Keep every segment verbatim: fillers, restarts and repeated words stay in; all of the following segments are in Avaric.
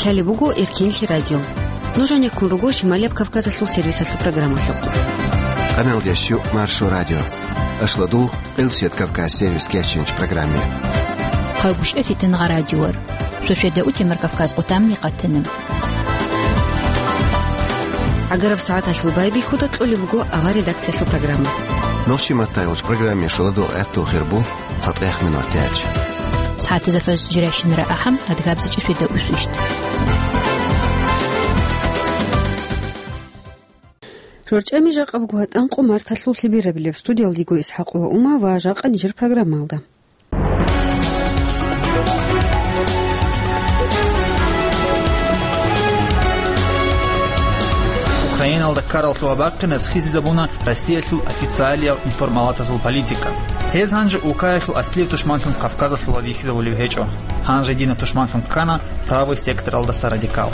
Гьале буго Эркенлъи радио. Нуж гьанеккун руго Шималияб Кавказалъул сервисалъул программалъухъ. Къаналдящу Маршо радио. Ашлодул Элсет Кавказ сервис кечинч программе. Хъагушев Фитнагъа радиор. Сосведа утемар Кавказ къутамни къатана. Агараб сагӀаталъул байбихьуда кьолеб буго авар редакциялъул программа. Нохчи маттайолч программе шуладул гӀатту хирбу. ЦатӀех минут яч. СагӀатазда фаз жирайщинара ахӀам, адгабзичӀеб сверда усвищ. РорчӀами жакъа буго гьатӀан къо марталъул лъеберабилеб. Студиялдего ИсхӀакъова Ума ва жакъа нижер программалда. Украиналда ккарал лъугьа-бахъиназ хисизабуна Россиялъул официалиял информалатазул политика. Гьез гьанже улкаялъул аслияб тушманлъун Кавказалъула вихьизабулев гьечӀо. Гьанже динаб тушманлъун ккана правый секторалдаса радикал.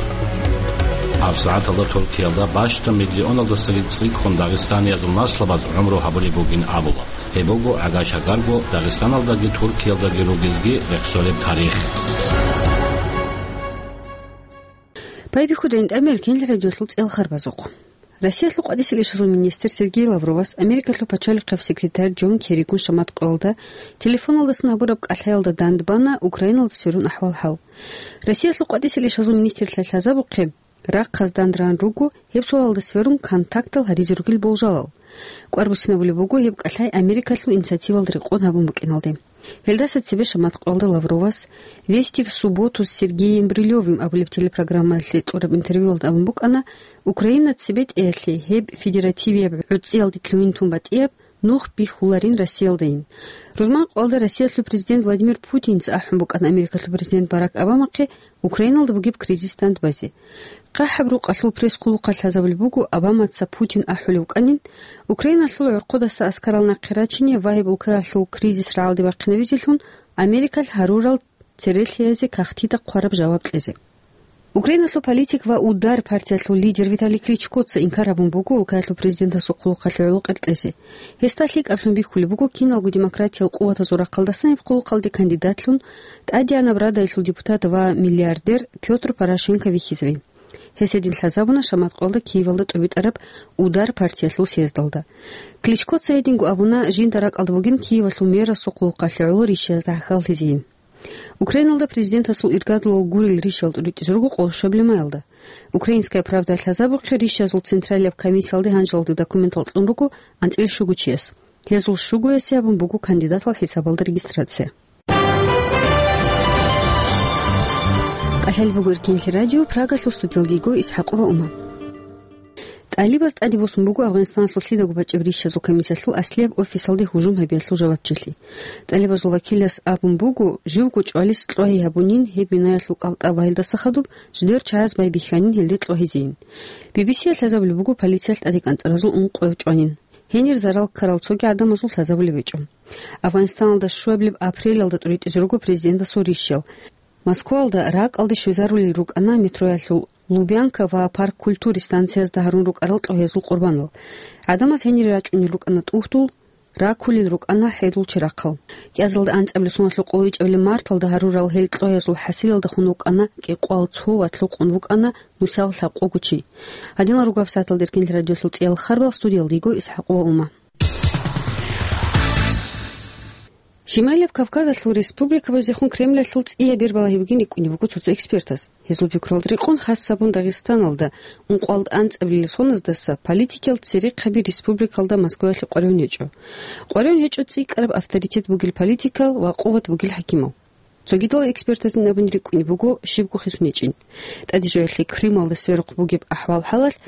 ГьабсагӀаталда Туркиялда бащдаб миллионалдасаги цӀикӀкӀун дагъистаниязул наслабаз гӀумру гьабулеб бугин абула. Гьеб буго гӀагар-шагарго Дагъистаналдаги Туркиялдаги ругезги рехсолеб тарих. Байбихьуда гьитӀамир Эркенлъи радиолъул цӀел харбазухъ. Россиялъул къватӀисел ишазул министр Сергей Лавровас Америкалъул пачалихъав секретарь Джон Керригун шамат къоялда телефоналдасан гьабураб кӀалъаялда дандбана Украиналда сверун ахӀвал-хӀал. Россиялъул къватӀисел ишазул министрлъай лъазабухъе, рахъаз дандран руго гьеб суалалда сверун контактал гьаризе ругел болжалал. КӀвар буссинабулеб буго гьеб кӀалъай Америкалъул инициативалда рекъон гьабун букӀиналде. Гьелдаса цебе шамат къоялда Лавровас «Вести в субботу с Сергеем Брилевым» абулеб телепрограммаялъе кьураб интервьюялда абун букӀана, Украина цебетӀеялъе гьеб федеративияб гӀуцӀиялде лъугьин тун батӀияб нух бихьуларин Россиялдайин. Рузман къоялда Россиялъул президент Владимир Путинца ахӀун букӀана Америкалъул президент Барак Обамахъе Украиналда бугеб кризис дандбазе. ХъахӀаб рукъалъул пресс-хъулухъалъ лъазабулеб буго Обамаца Путин ахӀулев вукӀанин, Украиналъул гӀорхъудаса аскарал нахъе рачине ва гьеб улкаялъул кризис рагӀалде бахъинавизелъун Америкалъ гьарурал церелъиязде кагътида хъвараб жаваб кьезе. Украиналъул политик ва «Удар» партиялъул лидер Виталий Кличкоца инкар гьабун буго улкаялъул президентасул хъулухъалъе гӀоло къеркьезе. Гьесда лъикӀаблъун бихьулеб буго киналго демократиял къуватазул рахъалдасан гьеб хъулухъалде кандидатлъун ТӀадегӀанаб Радаялъул депутат ва миллиардер Пётр Порошенко вихьизари. Гьес гьедин лъазабуна шамат къоялда Киевалда тӀубитӀараб «Удар» партиялъул съездалда. Кличкоца гьединго абуна, жинда ракӀалда бугин Киевалъул мэрасул хъулухъалъе гӀоло рищаязда гӀахьаллъизейин. Украиналда президентасул иргадулал гурел рищал тӀуритӀизе руго къоло щуабилеб маялда. «Украинская правда» лъазабухъе рищазул централияб комиссиялде гьанжалде документал кьун руго анцӀила щугучияс. Гьезул щугоясе гьабун буго кандидатал хӀисабалда регистрация. КӀалъалеб буго Эркенлъи радио, Прагалъул студиялги йиго ИсхӀакъова Ума. ТӀалибаз тӀаде босун буго Афганистаналъул лъидаго бачӀеб рищазул комиссиялъул аслияб офисалде гьужум гьабиялъул жавабчилъи. ТӀалибазул вакилас абун буго, живго чӀвалес кьвагьи гьабунин гьеб бинаялъул кӀалтӀа ва гьелдаса хадуб жидер чагӀаз байбихьанин гьелде кьвагьизейин. Би-би-сиялъ лъазабулеб буго полициялъ тӀаде кӀанцӀаразул ункъо чӀванин. Гьенир зарал ккарал цоги гӀадамазул лъазабулеб гьечӀо. Афганистаналда щуабилеб апрелалда тӀуритӀизе руго президентасул рищал. Москваялда ракӀалде щвезарулел рукӀана метроялъул Лубянка ва Парк культуры станциязда гьарун рукӀарал кьвагьазул къурбанал. ГӀадамаз гьенире рачӀунел рукӀана тӀугьдул, ракулел рукӀана хӀедул черахъал. КӀиазалда анцӀабилеб соналъул къоло ичӀабилеб марталда гьарурал гьел кьвагьазул хӀасилалда хун вукӀана кӀикъвал цо ва лъукъун вукӀана нусал лъабкъого чи. Гьадинал руго гьабсагӀаталда Эркенлъи радиолъул цӀиял харбал, студиялда йиго ИсхӀакъова Ума. Шималияб Кавказалъул республикабазехун Кремлалъул цӀияб бер балагьи бугин рикӀкӀунеб буго цо-цо экспертаз. Гьезул пикруялда рекъон, хас гьабун Дагъистаналда ункъвал анцӀабилел соназдаса политикиял церехъаби республикалда Москваялъе къваригӀун гьечӀо. КъваригӀун гьечӀо цӀикӀкӀараб авторитет бугел политикал ва къуват бугел хӀакимал. Цогидал экспертазин абун рикӀкӀунеб буго щибго хисун гьечӀин. ТӀадежоялъе Крымалда сверухъ бугеб ахӀвал-хӀалалъ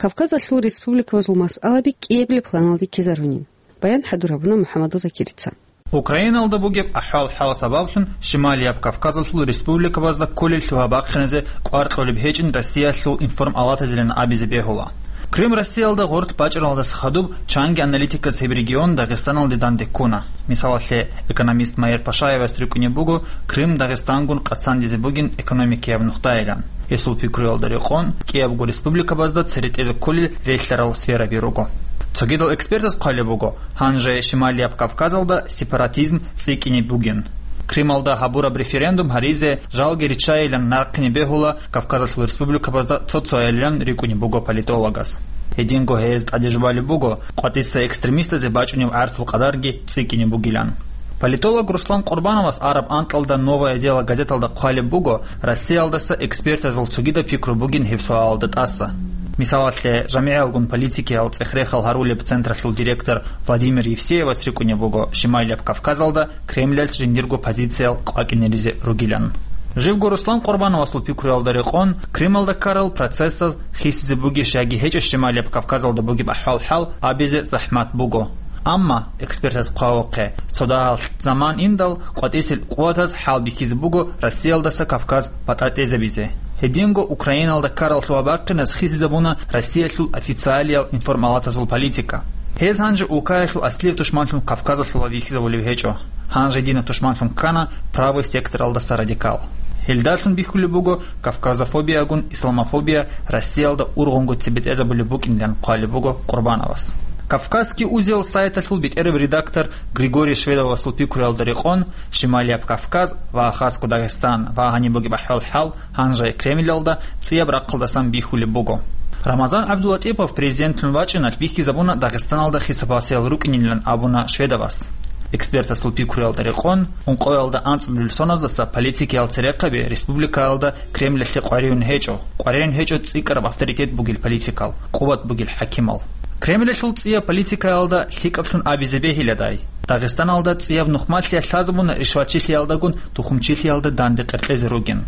Кавказалъул республикабазул масъалаби кӀиабилеб планалде ккезарунин. Баян хӀадур гьабуна МухӀаммадул Закирица. Украиналда бугеб ахӀвал-хӀал сабаблъун Шималияб Кавказалъул республикабазда кколел лъугьа-бахъиназе кӀвар кьолеб гьечӀин Россиялъул информалатазилан абизе бегьула. Крым Россиялда гъоркь бачӀаралдаса хадуб чанги аналитиказ гьеб регион Дагъистаналде данде ккуна. Мисалалъе, экономист Майер Пашаевас рикӀкӀунеб буго Крым Дагъистангун къацандизе бугин экономикияб нухдаялъ. Гьесул пикруялда рекъон, кӀиябго республикабазда цере тӀезе кколел релълъарал сфераби руго. Цогидал экспертаз хъвалеб буго, гьанже Шималияб Кавказалда сепаратизм цӀикӀкӀине бугин. Крымалда гьабураб референдум гьаризе жалги риччайилан нахъе бегьула Кавказалъул республикабазда цо-цояйилан рикӀкӀунеб буго политологас. Гьединго гьез тӀаде жубалеб буго, къватӀиса экстремистазе бачӀунеб гӀарцул къадарги цӀикӀкӀине бугилан. Политолог Руслан Къурбановас араб анкьалда «Новое дело» газеталда хъвалеб буго, Россиялдаса экспертазул цогидаб пикру бугин гьеб суалалда тӀаса. Мисалалъе, жамигӀалгун политикиял цӀех-рехал гьарулеб централъул директор Владимир Евсеевас рикӀкӀунеб буго Шималияб Кавказалда Кремлялъ жиндирго позициял къвакӀинеризе ругилан. Живго Руслан Къурбановасул пикруялда рекъон, Крымалда ккарал процессаз хисизе бугищ яги гьечӀищ Шималияб Кавказалда бугеб ахӀвал-хӀал абизе захӀмат буго. Амма, экспертаз хъвавухъе, цо дагьал заман индал къватӀисел къуватаз хӀал бихьизе буго Россиялдаса Кавказ батӀа тӀезабизе. Гьединго Украиналда ккарал лъугьа-бахъиназ хисизабуна Россиялъул официалиял информалатазул политика. Гьез гьанже улкаялъул аслияб тушманлъун Кавказалъула вихьизабулев гьечӀо. Гьанже дина тушманлъун ккана правый секторалдаса радикал. Гьелдалъун бихьулеб буго кавказофобиягун исламофобия Россиялда ургъунго цебетӀезабулеб букӀиндилан хъвалеб буго Къурбановас. «Кавказский узел» сайталъул бетӀераб редактор Григорий Шведовасул пикруялда рекъон, Шималияб Кавказ ва хасго Дагъистан ва гьаниб бугеб ахӀвал-хӀал гьанже Кремлялда цӀияб рахъалдасан бихьулеб буго. Рамазан ГӀабдулатӀипов президентлъун вачӀиналъ бихьизабуна Дагъистаналда хисабасел рукӀинилан абуна Шведовас. Экспертасул пикруялда рекъон, ункъоялда анцӀбилел соназдаса политикиял церехъаби республикаялда Кремльалъе къваригӀун гьечӀо, къваригӀун гьечӀо цӀикӀкӀараб авторитет бугел политикал, къуват бугел хӀакимал. Кремльалъул цӀияб политикаялда лъикӀаблъун абизе бегьиладай, Дагъистаналда цӀияб нухмалъиялъ лъазабуна ришватчилъиялдагун тухумчилъиялда данде къеркьезе ругин.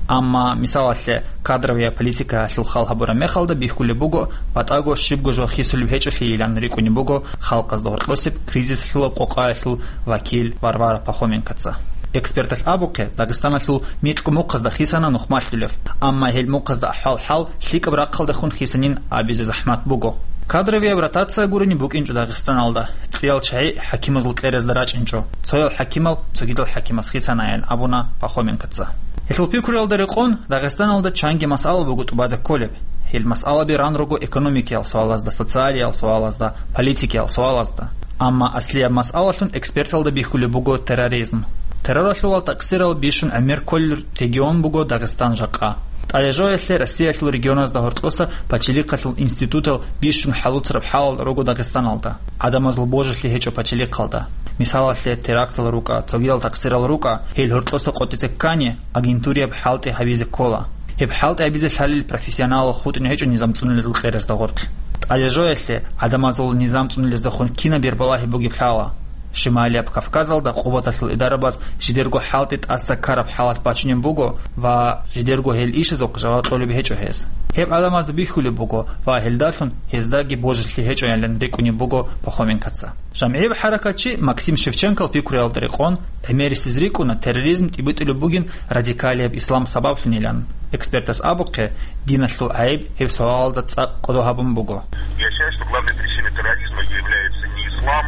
Амма, мисалалъе, кадровая политикаялъул хал гьабураб мехалда бихьулеб буго, батӀаго щибго жо хисулеб гьечӀолъийилан рикӀкӀунеб буго халкъазда гьоркьосеб кризисалъул къокъаялъул вакил Варвара Пахоменкоца. Эксперталъ абухъе, Дагъистаналъул микьго мухъазда хисана нухмалъулев, амма гьел мухъазда ахӀвал-хӀал лъикӀаб рахъалдехун хисанин абизе захӀмат буго. Кадровияб ротация гурени букӀинчӀо Дагъистаналда, цӀиял чагӀи хӀакимазул кьерезда рачӀинчӀо, цоял хӀакимал цогидал хӀакимас хисанаян абуна Пахоменкоца. Гьелъул пикруялда рекъон, Дагъистаналда чанги масъала буго тӀубазе кколеб. Гьел масъалаби ран руго экономикиял суалазда, социалиял суалазда, политикиял суалазда. Амма аслияб масъалалъун эксперталда бихьулеб буго терроризм. Терроралъул ва такъсирал бищун гӀемер кколел регион буго Дагъистан жакъа. ТӀадежоялъе Россиялъул регионазда гьоркьоса пачалихъалъул институтал бищун хӀалуцараб хӀалал руго Дагъистаналда, гӀадамазул божилъи гьечӀо пачалихъалда. Мисалалъе, терактал рукӀа, цогидал такъсирал рукӀа, гьел гьоркьоса къотӀизе ккани, агентурияб хӀалтӀи гьабизе ккола. Гьеб хӀалтӀи гьабизе лъалел профессионалал хутӀун гьечӀо низам цӀунулезул кьерезда гъоркь. ТӀадежоялъе гӀадамазул низам цӀунулездехун кинаб бербалагьи бугеб лъала. Шималияб Кавказалда къуваталъул идарабаз жидерго хӀалтӀи тӀаса ккараб хӀалат бачунеб буго ва жидерго гьел ишазухъ жаваб кьолеб гьечӀо гьез. Гьеб гӀадамазда бихьулеб буго ва гьелдалъун гьездаги божилъи гьечӀоялин рикӀкӀунеб буго Пахоменкоца. ЖамгӀияб хӀаракатчи Максим Шевченкол пикруялда рекъон, гӀемерисез рикӀкӀуна терроризм тӀибитӀулеб бугин радикалияб ислам сабаблъунилан. Экспертас абухъе, диналъул гӀайиб гьеб суалалда цӀакъ кӀодо гьабун буго. Я считаю, что главной причиной терроризма является не ислам.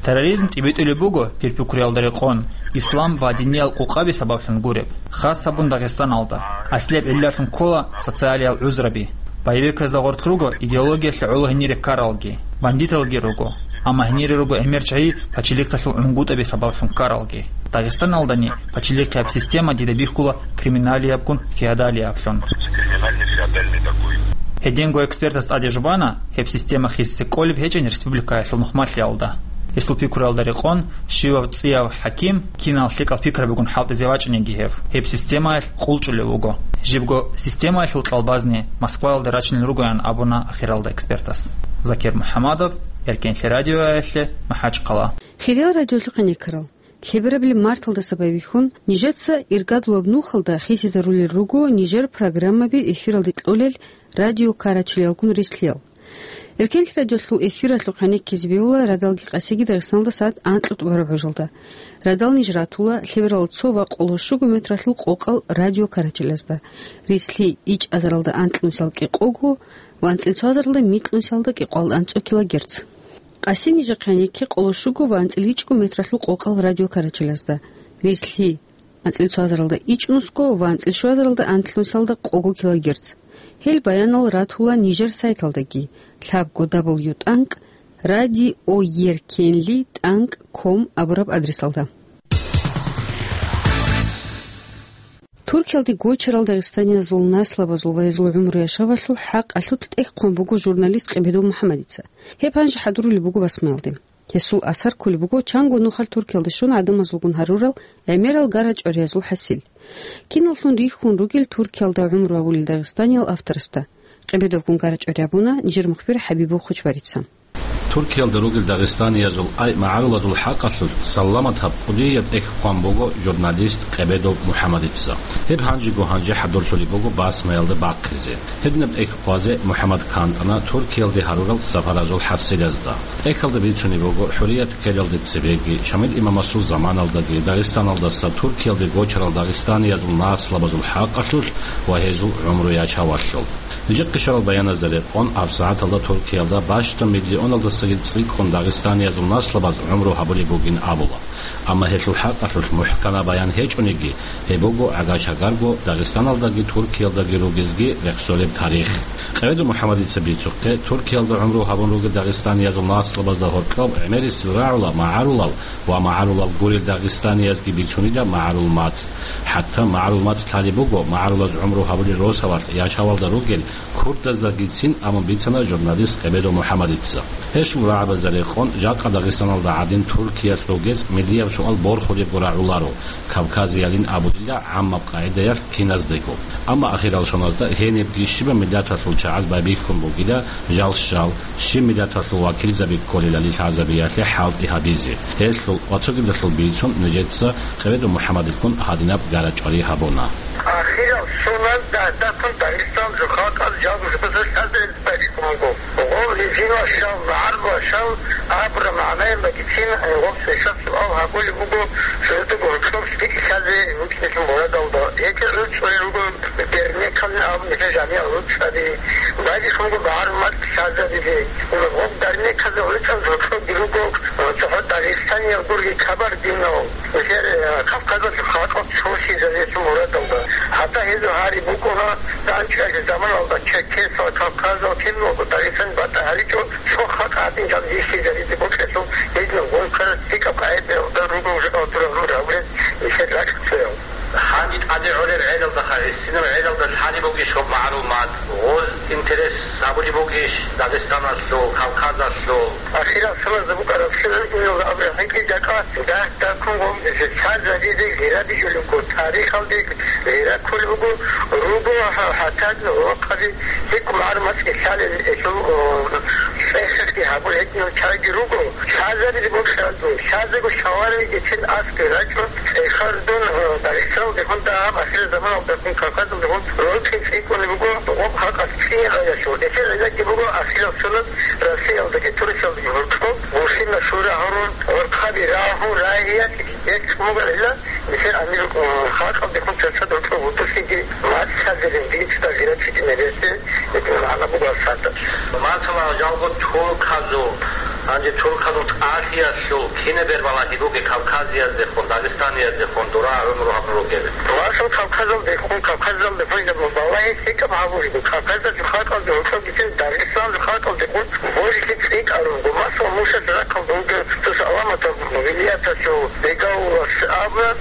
Терроризм тӀибитӀулеб буго, дир пикруялда рекъон, ислам ва диниял къукъаби сабаблъун гуреб, хас гьабун Дагъистаналда. Аслияб гӀиллалъун ккола социалиял гӀузраби. Боевиказда гъоркь руго идеологиялъе гӀоло гьенире ккаралги, бандиталги руго. Амма гьенире руго гӀемер чагӀи пачалихъалъул гӀунгутӀаби сабаблъун ккаралги. Дагъистаналдани пачалихъияб система дида бихьула криминалиябгун феодалияблъун. Гьединго экспертас тӀаде жубана, гьеб система хисизе кӀолеб гьечӀин республикаялъул нухмалъиялда. Гьесул пикруялда рекъон, щивав цӀияв хӀаким кинал лъикӀал пикрабигун хӀалтӀизе вачӀинеги гьев, гьеб системаялъ къулчӀулев вуго. Жибго системаялъул кьалбазни Москваялда рачунел ругоян абуна ахиралда экспертас. Закир МухӀамадов, Эркенлъи радиоялъе, МахӀачхъала. Хириял радиолъухъ гӀенеккарал, лъеберабилеб марталдаса байбихьун, нижеца иргадулаб нухалда хисизарулел руго нижер программаби эфиралде кьолел радио карачелалгун рислъел. Эркенлъи радиолъул эфиралъухъ гӀенеккизе бегьула радалги къасиги Дагъистаналда сагӀат анкьго тӀубараб гӀужалда. Радал ниж ратула лъеберал цо ва къоло щуго метралъул къокъал радио карачелазда. Рислъи ичӀазаралда анкьнусал кӀикъого ва анцӀил цоазаралда микьнусалда кӀикъоялда анцӀго килогерц. Къаси нижехъе гӀенекке къоло щуго ва анцӀил ичӀго метралъул къокъал радио карачелазда. Рислъи анцӀил цоазаралда ичӀнусго ва анцӀил щуазаралда анлънусалда къого килогерц. Гьел баянал ратула нижер сайталдаги, лъабго дабл ю тӀанкӀ радиоеркенли тӀанкӀ ком абураб адресалда. Туркиялде гочарал дагъистаниязул наслабазул ва гьезул гӀумру-яшавалъул хӀакъалъулъ тӀехь хъван буго журналист Къебедов МухӀаммадица. Гьеб гьанже хӀадурулеб буго Басмаялде. Гьесул асар кколеб буго чанго нухалъ Туркиялде щун гӀадамазулгун гьарурал гӀемерал гара-чӀвариязул хӀасил. Киналлъун рихьун ругел Туркиялда гӀумру гьабулел дагъистаниял авторасда. Къебедовгун гара-чӀвари гьабуна нижер мухбир ХӀабибов Хучбарица. Туркиялда ругел дагъистаниязул ай-магӀарулазул хӀакъалъулъ саламат гьаб кӀудияб тӀехь хъван буго журналист Къебедов МухӀаммадица. Гьеб гьанжего гьанже хӀадурлъулеб буго Басмаялда бахъизе. Гьединаб тӀехь хъвазе МухӀаммад ккан тӀана Туркиялде гьарурал сапаразул хӀасилазда. ТӀехьалда бицунеб буго, ХӀурият ккелалде цебеги, Шамил имамасул заманалдаги Дагъистаналдаса Туркиялде гочарал дагъистаниязул наслабазул хӀакъалъулъ ва гьезул гӀумру-яшавалъул. Нижехъе щварал баяназда рекъон, гьабсагӀаталда Туркиялда бащдаб миллионалдасаги цӀикӀкӀун дагъистаниязул наслабаз гӀумру гьабулеб бугин абула. Амма гьелъул хӀакъалъулъ мухӀканаб баян гьечӀониги, гьеб буго гӀагар-шагарго Дагъистаналдаги Туркиялдаги ругезги рехсолеб тарих. Къебедов МухӀаммадица бицухъе, Туркиялда гӀумру гьабун ругел дагъистаниязул наслабазда гьоркьоб гӀемерисел рагӀула магӀарулал ва магӀарулал гурел дагъистаниязги бицунила магӀарул мацӀ. ХӀатта магӀарул мацӀ лъалеб буго магӀарулаз гӀумру гьабулел росабалъ яшавалда ругел курдаздагицин, абун бицана журналист Къебедов МухӀаммадица. Гьелъул рагӀабазда рекъон, жакъа Дагъистаналда гӀадин Туркиялъ ругез миллияб суал борхулебго рагӀуларо, кавказиялин абулила гӀаммаб къагӀидаялъ киназдего. Амма ахиралшоназда гьенибги щибаб миллаталъул чагӀаз байбихьун бугила жал-щал, щиб миллаталъул вакилзаби кколелали лъазабиялъе хӀалтӀи гьабизе. Гьелъул ва цогидалъул бицун нижеца Къебедов МухӀаммадилгун гьадинаб гара-чӀвари гьабуна. Ахирал соназ дагь-дагьккун Дагъистаналъул халкъаз жалго-жалго лъазабиялъе байбихьун буго. Гъоб режималъул, магӀарулазул абураб магӀнаялдагицин гъоб цоясда суал гьабулеб буго, жодого гьоркьоб лъикӀлъазе вукӀинелъул мурадалда. Гьелъие гӀуцӀулел руго дернекал абун нилъер жамигӀал гӀуцӀаби, байбихьун буго магӀарул мацӀ лъазабизе. Гъоб дернеказда гӀуцӀаз гьоркьобги руго цохӀо дагъистаниял гурги кабардинал. Нилъер, э, Кавказалъул халкъал цолъизабиялъул мурадалда. ГьатӀа гьезул гьари букӀуна, дандчӀвазе заманалда черкесал, кавказал киналго Дагъистан батӀа гьаричӀо, цо халкъ гьадин жал бихьизабизе бокьелъул, гьединаб гъункарал лъикӀаб къагӀидаялда руго уже гьалдурал рур гьабурез нилъер ракьцоял. Гьанже тӀаде гӀолеб гӀелалдаха, гӀисинаб гӀелалда лъалеб бугищ гьоб магӀарул мацӀ? Гъоз интерес гьабулеб бугищ Дагъистаналъул, Кавказалъул? Ахирал соназда букӀараб лъугӀин-инал абураб хӀинкъи жакъа дагь-дагьккун гъоб лъазабизе гъира бижулеб буго, тарихалде гъира кколеб буго, руго гьа-, гьатӀан гъоркьаби гьикъ магӀарул мацӀги лъалел, гьелъул, о, цӀехги гьабулел гьединал чагӀиги руго. Лъазабизе бокьараб буго, лъазего шаваригицин аскӀове рачӀун, цӀехар дун, о, Дагъистаналдехун дагьаб ахирал заманалдехун Кавказалдехун рокьи цӀикӀкӀунеб буго гъоб халкъалъ цӀикӀкӀиналъул. Гьелъие гӀиллатги буго ахирал соназ Россиялдаги Турциялдаги гьоркьоб Муслимас шура гьарун, гӀорхъаби рагьун, рагьиялъ гьечӀ мугӀила, нилъер амир, э, халкъалдехун цоцазда гьоркьоб гьудуллъиги мацӀ лъазабизе, динцада гъира цӀикӀкӀинабиялъе гьединаб магӀна буго асарда. Масала, жалго турказул, гьанже турказул тӀалъиялъул кинаб бербалагьи бугеб Кавказияздехун, Дагъистанияздехун дура гӀумру гьабун ругел? Масала, Кавказалдехун, Кавказалдехун гьеб балагьи лъикӀаб гьабулеб, Кавказалъул халкъалде гьоркьобгицин Дагъистаналъул халкъалдехун божилъи цӀикӀкӀарун буго. Масала, Мушалъ рахъалда вугев цо Саламаталъул вилияталъул Бегавулас абуна,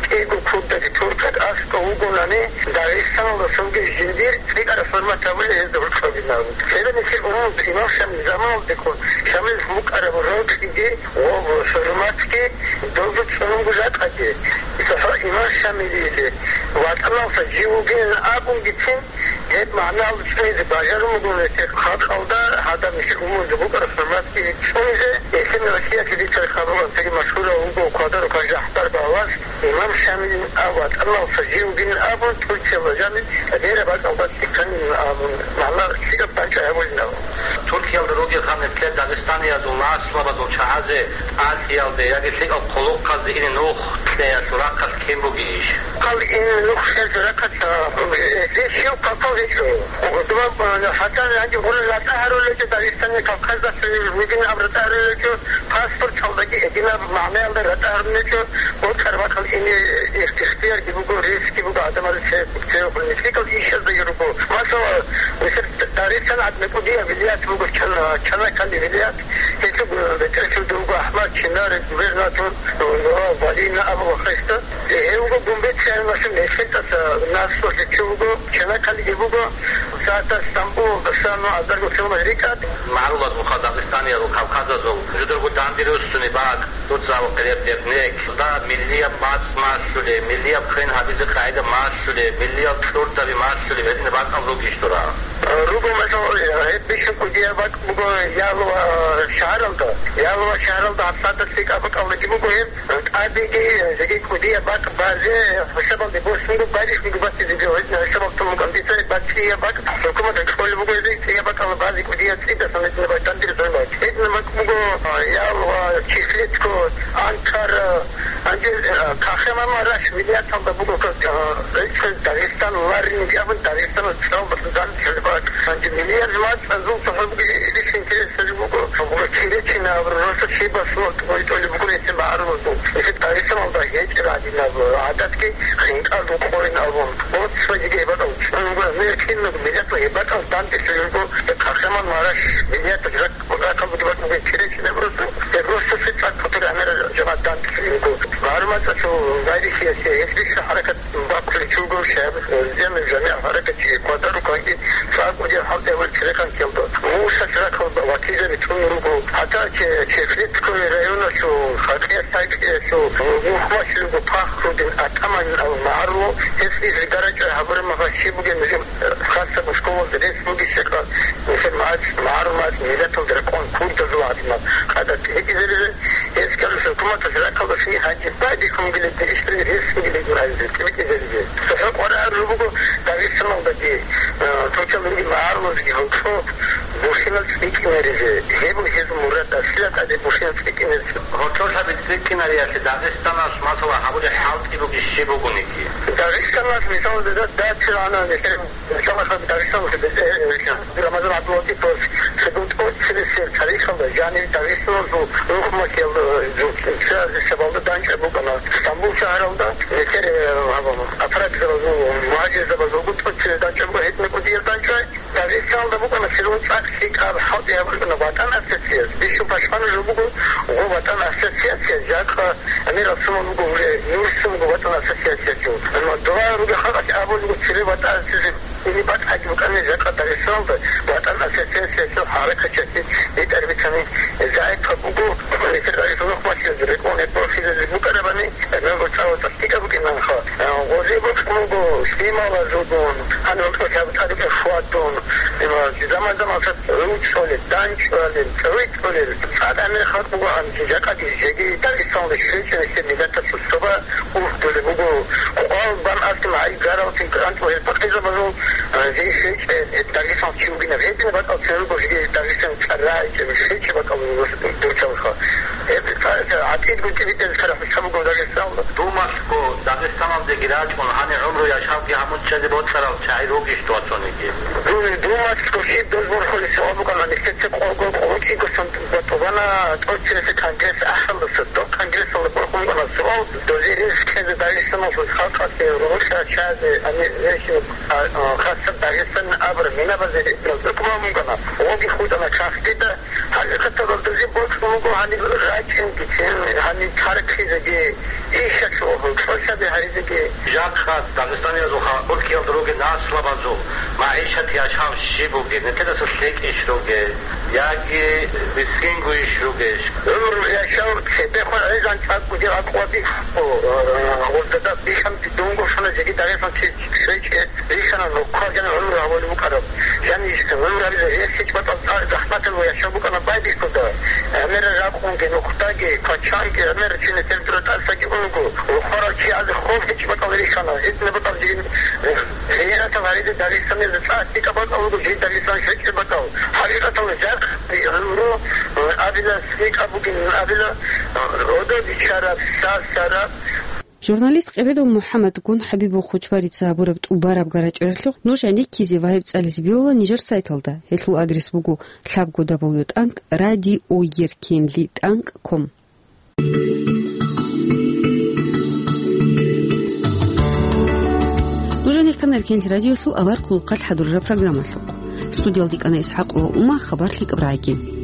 кӀиго курдаги туркаги аскӀов вугонани, Дагъистаналдасаги жиндир цӀикӀкӀараб хӀурмат гьабулеб гьезда гьоркьобилан. Цебе нилъер умумузда имам Шамил заманалдехун Шамилалъ букӀараб рокьиги ва хӀурматги дозул цӀунун буго жакъаги. ЦохӀо имам Шамилиялъе ватӀаналдаса жив вугилан абунгицин, гьеб магӀна цӀунизе бажарун буго нилъер халкъалда, гьадаб нилъер умумузда букӀараб хӀурматги цӀунизе. Гьелъие Россиялъе дицаги хабар цоги машгьурав вуго Квадарухъан ЖахӀбар балас, имам Шамилин ав ватӀаналдаса жив вугилан абун, Турциялда жаниб гъира бакӀалда цӀикӀкӀанин абун, магӀна лъикӀаб бачӀа гьабулин абун. Турциялда ругел гьанир ккел дагъистаниязул наслабазул чагӀазе тӀалъиялде яги лъикӀал хъулухъазде ине нух кьеялъул рахъалъ кин бугейищ? Хъал ине нух кьеялъул рахъалъ, э, гьеб щив хъалхъал гьечӀо. Дуба, э, хӀатта гьанже гъура ратӀа гьарулел гьечӀо, Дагъистани Кавказалъул вугин абун ратӀа гьарулел гьечӀо, паспорталдаги гьединаб магӀнаялда ратӀа гьарулел гьечӀо, бокьараб бакӀалда ине их-, ихтиярги буго, рискги буго гӀадамазда цебе. Церехъ нилъер ишаздаги руго. Масала, нилъер Дагъистан гӀадин кӀудияб вилият буго, Чана-, Чанаккалде вилият. Гьеб БетӀерчӀуда вуго АхӀмад, Чинар, губернатор, Нурал Валина абула хасда. Гьев вуго Гумбет Сианалъул нехетӀаса наслулъе чи вуго, Чанакалиги буго, сагӀатас Стамбул, Душанбе, азарго километр рикӀкӀад. МагӀарулазул хал, дагъистаниязул, кавказазул жударго данде руссуни бакӀ, дуца ва къереб дернек, да, миллияб мацӀ малъулеб, миллияб квен гьабизе къагӀида малъулеб, миллияб кьурдаби малъулеб, гьединаб бакӀал ругищ дура? Руго, масала, гьеб бищун кӀудияб бакӀ буго Ялва шагьаралда. Ялва шагьаралда гьабсагӀаталъ лъикӀаб бакӀалдаги буго гьеб. ТӀадеги жеги кӀудияб бакӀ базе хӀисабалде босунго, барихьниги батизе гьедин хӀисабалда тун букӀан дица, бацӀцӀияб бакӀ хӀукуматалъ кьолеб буго гьезие, цӀияб бакӀалда базе кӀудияб цӀидасан гьединаб бакӀ дандир зойбал. Гьединаб бакӀ буго Ялва, Чехлицко, Анкара, гьанже, э, Кахеман ва Раш вилияталда буго, э, рече Дагъистан ларинги абун, Дагъистаналъ цӀалбалъун данде лъалеб бакӀ. Гьанже миллият мацӀазул цохӀо буго, ил интересалъ буго, Киречина абураб росулъ щибасулал тӀолеб буго гьесие магӀарулазул. Гьесие Дагъистаналда гьечӀеб гӀадинаб гӀадатги хинкӀалда къойин абун. Боцлъиги гьеб бакӀал чӀун буго, мер кинаб миллияталъ гьеб бакӀал данде лъалеб буго, Кахеман ва Раш вилияталъ рак-, ракал бугеб бакӀ буго Киречина абураб росулъ. Гьеб росулъ цӀакъ хутӀараб гӀемерал жамагӀат данде лъалеб буго. МагӀарул мацӀалъул гъайрихьиясе гьелъ бихьа хӀаракат бахъулев чи вуго шагьар, э, Зиямил ЖамигӀ хӀаракатчи, квадаруканги цӀакъ кӀудияб хӀалтӀи гьабулеб церекъан кьелда. Муса церехъал вакилзаби тун руго. ГьатӀа Че-, Чехлицкого районалъул Хакъия СайтӀиялъул нухмалъ руго Пахрудин Атаманин абун магӀарулав, гьес изригарачӀа гьабураб мехалъ щиб бугеб нужер, э, хасаб школалда рес бугищ-, Нилъер мацӀ, магӀарул мацӀ миллаталда рекъон курдазул гӀадинаб къагӀидаялъ гьитӀизаризе, гьес кколеб хӀукуматалъ ракалдалъги гьанже байбихьун бугилан ишдали рес бугилан абизе, тӀибитӀизаризе. ЦохӀо къваригӀарулеб буго Дагъистаналдаги, э, цо-цо мунги магӀарулазги гьоркьоб бухӀинал цӀикӀкӀинаризе. Гьеб буго гьезул мурад, аслияталде бухӀинал цӀикӀкӀинаризе. Гьоркьоб лъаби цӀикӀкӀинариялъе Дагъистаналъ, масала, гьабулеб хӀалтӀи бугищ щиб бугониги? Дагъистаналъ, мисалалда, дацил гьанан нилъер Чалахъа Дагъистаналъе бетӀер Рамазан ГӀабдулатиповас цебе тӀоцебесеб тарихалда жанив Дагъистаналъул рухӀмахъел, э, жо-, чиязе шабалда данчӀаб букӀана. Стамбул шагьаралда нилъер, э, гьаб-, аппаратзабазул, мугьажирзабазулго тӀоцебе данчӀаб буго, гьединаб кӀудияб данчӀвай. Дагъистаналда букӀана церун цӀакъ лъикӀаб хӀалтӀи гьабураб букӀана ВатӀан ассоциация. Бищун пашмана жо буго, гъо ВатӀан ассоциация, жакъа Амир Расулан вуго, уже нурсун вуго ВатӀан ассоциациялъул. Амма дова ругел халкъалъ абулеб буго цебе ВатӀан ассоциация. Гьениб батӀаги букӀана жакъа Дагъистаналда ВатӀан ассоциациялъул хӀаракатчиясе битӀараб бицани, загӀипаб буго, нилъер Дагъистаналъул нухмалъизе рекъон гьеб борхизазе букӀарабани, гьеб цӀакъ лъикӀаб букӀинанха. Гъозе бокьун буго лъималазулгун, гьанив гьоркьоб лъаб тӀадекӀаб хьвадун, заман-заманалъ ручӀулел, данчӀвалел, цӀалуй цӀалуй, цӀакъ гӀемер халкъ буго гьанже, жакъаги жеги Дагъистаналда щвечӀеб нилъер миллаталъул цоба ургъулеб буго. Къвал бан аскӀин гӀай гаралцин кӀантӀул гьел пакъизабазул, а, жий щвечӀеб Дагъистан чи вугинаб. Гьединаб бакӀал цин руго жеги Дагъистан цӀар рагӀичӀеб, щвечӀеб бакӀал дурчалха. Гьеб цӀар-, гӀатӀидго тӀибитӀизе царахӀ буго Дагъистаналда. Думалъго, Дагъистаналдеги рачӀун, гьанир гӀумру яшавги гьамун чӀезе бокьарал чагӀи ругищ дуца цониги? Ду-, Думалъго щиб доз борхулеб суал букӀана, нилъеца къого къоло кӀиго сон батӀулана тӀоцебесеб конгресс ахӀалдаса, доб конгрессалда борхун букӀана суал, дозе рес кьезе Дагъистаналъул халкъалъе рогьоса чазе, гьанир рехин, а, а, хасаб Дагъистан абураб минабазе рекӀелда тӀубан букӀана. Гъоги хутӀана чахъ дида. ХӀакъикъаталда, дозе бокьун буго гьаниб рачӀингицин, гьаниб тархъизеги, ишалъул гьоркьоб лъаби гьаризеги. Жакъа Дагъистаниязул халкъ гьоркьоб ругел наслабазул магӀишат яшав щиб бугеб, нилъедаса лъикӀищ ругел, яги мискингойищ ругел? ГӀумру яшав цебехун гӀезан цӀакъ бугеб акъвабихъго, э, гъурдада бихьанги дунго щвана жеги Дагъистан чи щвечӀеб. Бихьана, нухъа жанив гӀумру гьавулев вукӀарав. Жанив гӀумру гьабизе гьес гьечӀ батӀал цӀар захӀматал ва яшав букӀана байбихьуда. ГӀемерал ракъунги, нухдаги, пачанги, гӀемерал чина температура тӀасаги унго, рухварал чиязе хоб гьечӀ батӀал рихьана. Гьединаб батӀал жин, э, гъиратал гьаризе Дагъистанизе цӀакъ лъикӀаб батӀал вуго жий Дагъистан щвечӀеб батӀал. ХӀакъикъаталда жакъ гӀумру, э, абила, лъикӀаб бугин абила, э, гӀодобичараб, сасараб. Журналист Къебедов МухӀаммадгун ХӀабибов Хучбарица гьабураб тӀубараб гарачӀоралъухъ нуж гӀенеккизе ва гьеб цӀализе бегьула нижер сайталда. Гьелъул адрес буго лъабго дабл ю тӀанкӀ радио еркенли тӀанкӀ ком. Нуж гӀенеккана Эркенлъи радиолъул авар хъулухъалъ хӀадурараб программалъухъ. Студиялда кӀана ИсхӀакъова Ума, хабар лъикӀаб рагӀиги.